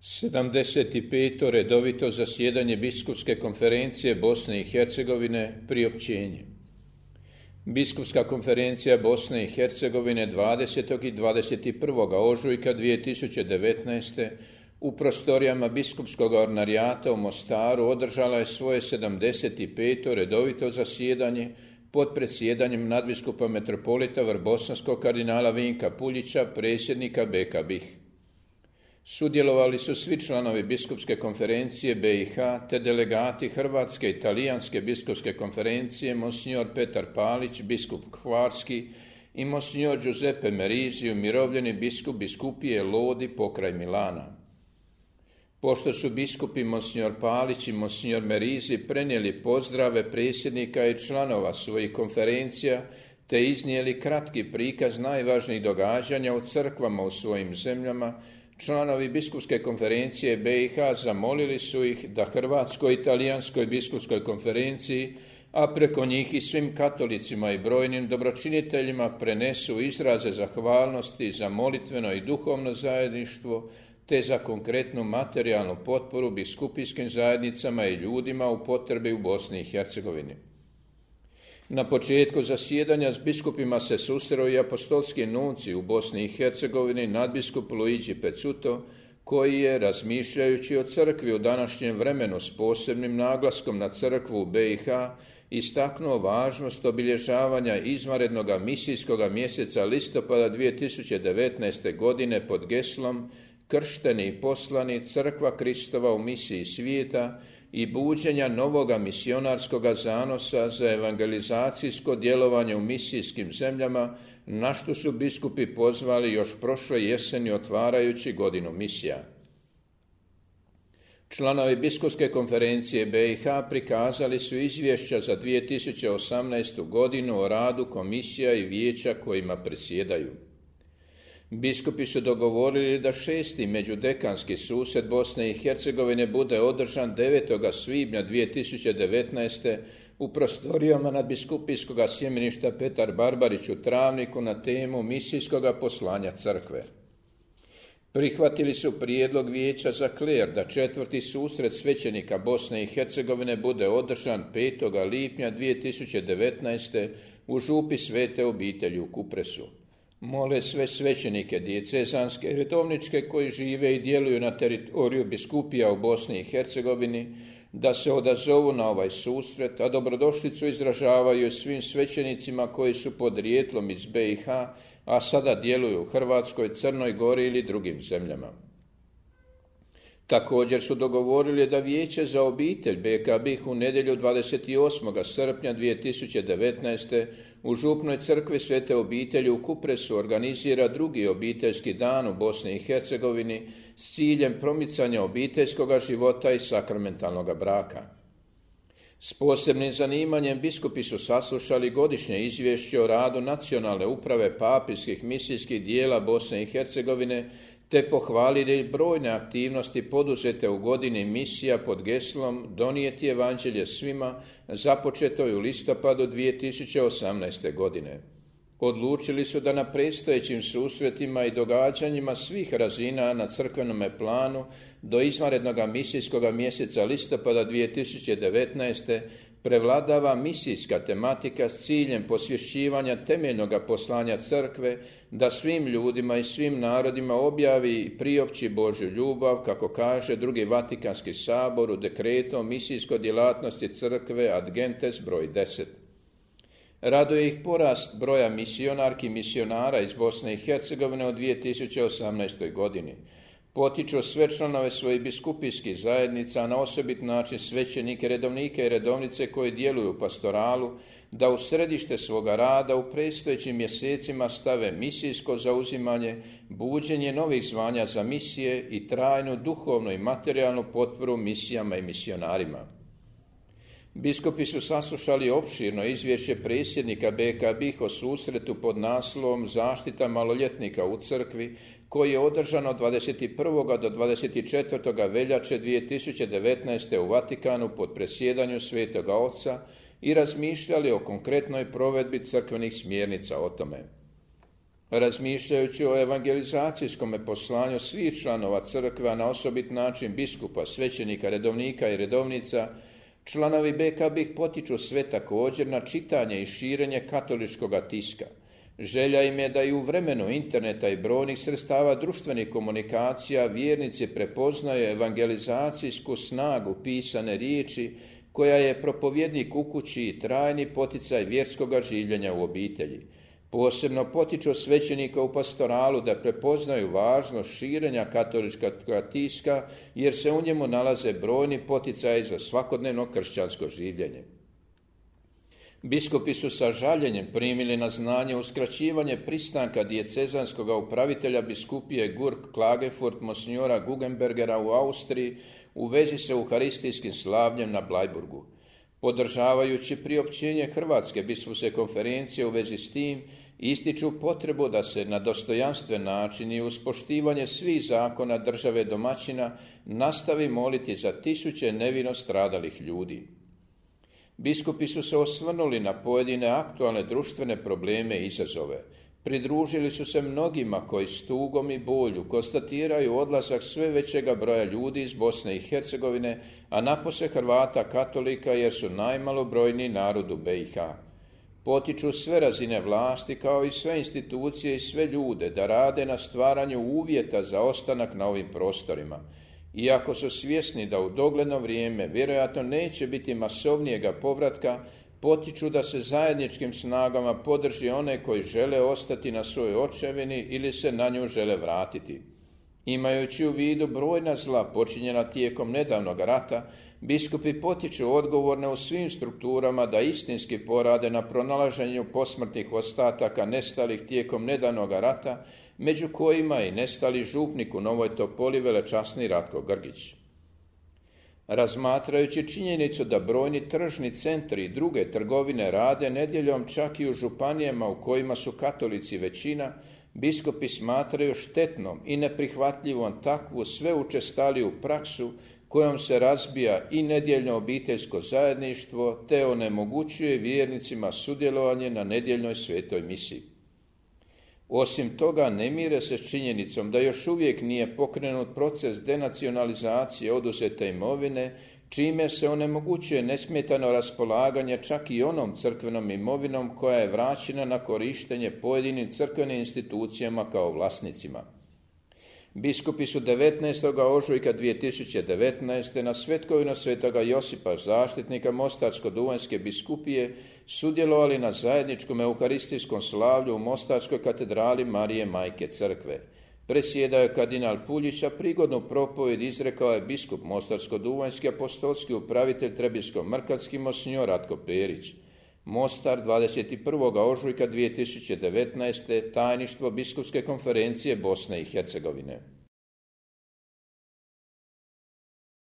75. redovito zasjedanje Biskupske konferencije Bosne i Hercegovine, priopćenje. Biskupska konferencija Bosne i Hercegovine 20. i 21. ožujka 2019. u prostorijama Biskupskog ordinarijata u Mostaru održala je svoje 75. redovito zasjedanje pod predsjedanjem nadbiskupa metropolita Vrbosanskog kardinala Vinka Puljića, predsjednika BK BiH. Sudjelovali su svi članovi Biskupske konferencije BiH te delegati Hrvatske i Talijanske biskupske konferencije monsignor Petar Palić, biskup Hvarski, i monsignor Giuseppe Merisi, umirovljeni biskup biskupije Lodi pokraj Milana. Pošto su biskupi monsignor Palić i monsignor Merisi prenijeli pozdrave predsjednika i članova svojih konferencija te iznijeli kratki prikaz najvažnijih događanja u crkvama u svojim zemljama, članovi Biskupske konferencije BiH zamolili su ih da Hrvatskoj i Talijanskoj biskupskoj konferenciji, a preko njih i svim katolicima i brojnim dobročiniteljima prenesu izraze zahvalnosti za molitveno i duhovno zajedništvo, te za konkretnu materijalnu potporu biskupijskim zajednicama i ljudima u potrebi u Bosni i Hercegovini. Na početku zasjedanja s biskupima se susreo i apostolski nunci u Bosni i Hercegovini, nadbiskup Luigi Pezzuto, koji je, razmišljajući o crkvi u današnjem vremenu s posebnim naglaskom na crkvu u BiH, istaknuo važnost obilježavanja izvanrednog misijskog mjeseca listopada 2019. godine pod geslom Kršteni i poslani, crkva Kristova u misiji svijeta i buđenja novoga misionarskog zanosa za evangelizacijsko djelovanje u misijskim zemljama, na što su biskupi pozvali još prošle jeseni otvarajući godinu misija. Članovi Biskupske konferencije BiH prikazali su izvješća za 2018. godinu o radu komisija i vijeća kojima predsjedaju. Biskupi su dogovorili da 6. međudekanski susret Bosne i Hercegovine bude održan 9. svibnja 2019. u prostorijama nadbiskupijskog sjemeništa Petar Barbarić u Travniku na temu misijskog poslanja crkve. Prihvatili su prijedlog vijeća za kler da 4. susret svećenika Bosne i Hercegovine bude održan 5. lipnja 2019. u župi Svete obitelji u Kupresu. Mole sve svećenike dijecezanske i redovničke koji žive i djeluju na teritoriju biskupija u Bosni i Hercegovini da se odazovu na ovaj susret, a dobrodošlicu izražavaju svim svećenicima koji su podrijetlom iz BiH, a sada djeluju u Hrvatskoj, Crnoj Gori ili drugim zemljama. Također su dogovorili da Vijeće za obitelj BK BiH u nedjelju 28. srpnja 2019. u župnoj crkvi Svete obitelji u Kupresu organizira drugi obiteljski dan u Bosni i Hercegovini s ciljem promicanja obiteljskog života i sakramentalnog braka. S posebnim zanimanjem biskupi su saslušali godišnje izvješće o radu Nacionalne uprave papijskih misijskih dijela Bosne i Hercegovine te pohvalili brojne aktivnosti poduzete u godini misija pod geslom Donijeti evanđelje svima, započeto u listopadu 2018. godine. Odlučili su da na predstojećim susretima i događanjima svih razina na crkvenome planu do izvanrednog misijskog mjeseca listopada 2019. prevladava misijska tematika s ciljem posvješćivanja temeljnog poslanja crkve da svim ljudima i svim narodima objavi i priopći Božju ljubav, kako kaže drugi Vatikanski sabor u dekretu o misijskoj djelatnosti crkve Ad Gentes broj 10. Raduje ih porast broja misionarki i misionara iz Bosne i Hercegovine u 2018. godini. Potiču sve članove svojih biskupijskih zajednica, na osobit način svećenike, redovnike i redovnice koji djeluju u pastoralu, da u središte svoga rada u predstojećim mjesecima stave misijsko zauzimanje, buđenje novih zvanja za misije i trajnu duhovnu i materijalnu potporu misijama i misionarima. Biskupi su saslušali opširno izvješće predsjednika BK BiH o susretu pod naslovom Zaštita maloljetnika u crkvi, koji je održan od 21. do 24. veljače 2019. u Vatikanu pod predsjedanju Svetoga Oca i razmišljali o konkretnoj provedbi crkvenih smjernica o tome. Razmišljajući o evangelizacijskom poslanju svih članova crkve, na osobit način biskupa, svećenika, redovnika i redovnica, članovi BKB potiču sve također na čitanje i širenje katoličkoga tiska. Želja im je da i u vremenu interneta i brojnih sredstava društvenih komunikacija vjernici prepoznaju evangelizacijsku snagu pisane riječi, koja je propovjednik u kući i trajni poticaj vjerskoga življenja u obitelji. Posebno potiču svećenika u pastoralu da prepoznaju važnost širenja katoličkog tiska, jer se u njemu nalaze brojni poticaji za svakodnevno kršćansko življenje. Biskupi su sa žaljenjem primili na znanje uskraćivanje pristanka dijecezanskog upravitelja biskupije Gurk Klagenfurt monsignora Guggenbergera u Austriji u vezi sa euharistijskim slavljem na Blajburgu. Podržavajući priopćenje Hrvatske biskupske konferencije u vezi s tim, ističu potrebu da se na dostojanstven način i uz poštivanje svih zakona države domaćina nastavi moliti za tisuće nevino stradalih ljudi. Biskupi su se osvrnuli na pojedine aktualne društvene probleme i izazove. Pridružili su se mnogima koji s tugom i bolju konstatiraju odlazak sve većega broja ljudi iz Bosne i Hercegovine, a napose Hrvata katolika jer su najmalobrojniji narod u BiH. Potiču sve razine vlasti kao i sve institucije i sve ljude da rade na stvaranju uvjeta za ostanak na ovim prostorima. Iako su svjesni da u dogledno vrijeme vjerojatno neće biti masovnijega povratka, potiču da se zajedničkim snagama podrži one koji žele ostati na svojoj očevini ili se na nju žele vratiti. Imajući u vidu brojna zla počinjena tijekom nedavnog rata, biskupi potiču odgovorne u svim strukturama da istinski porade na pronalaženju posmrtnih ostataka nestalih tijekom nedavnog rata, među kojima i nestali župnik u Novoj Topoli velečasni Ratko Grgić. Razmatrajući činjenicu da brojni tržni centri i druge trgovine rade nedjeljom čak i u županijama u kojima su katolici većina, biskupi smatraju štetnom i neprihvatljivom takvu sve učestaliju praksu kojom se razbija i nedjeljno obiteljsko zajedništvo te onemogućuje vjernicima sudjelovanje na nedjeljnoj svetoj misi. Osim toga, ne mire se s činjenicom da još uvijek nije pokrenut proces denacionalizacije oduzete imovine, čime se onemogućuje nesmetano raspolaganje čak i onom crkvenom imovinom koja je vraćena na korištenje pojedinim crkvenim institucijama kao vlasnicima. Biskupi su 19. ožujka 2019. na svetkovinu svetoga Josipa zaštitnika Mostarsko-duvanjske biskupije sudjelovali na zajedničkom euharistijskom slavlju u Mostarskoj katedrali Marije Majke Crkve. Presjedao je kardinal Puljić, a prigodnu propovjed izrekao je biskup Mostarsko-duvanjski apostolski upravitelj Trebinsko-mrkatski monsignor Ratko Perić. Mostar, 21. ožujka 2019. tajništvo biskupske konferencije Bosne i Hercegovine.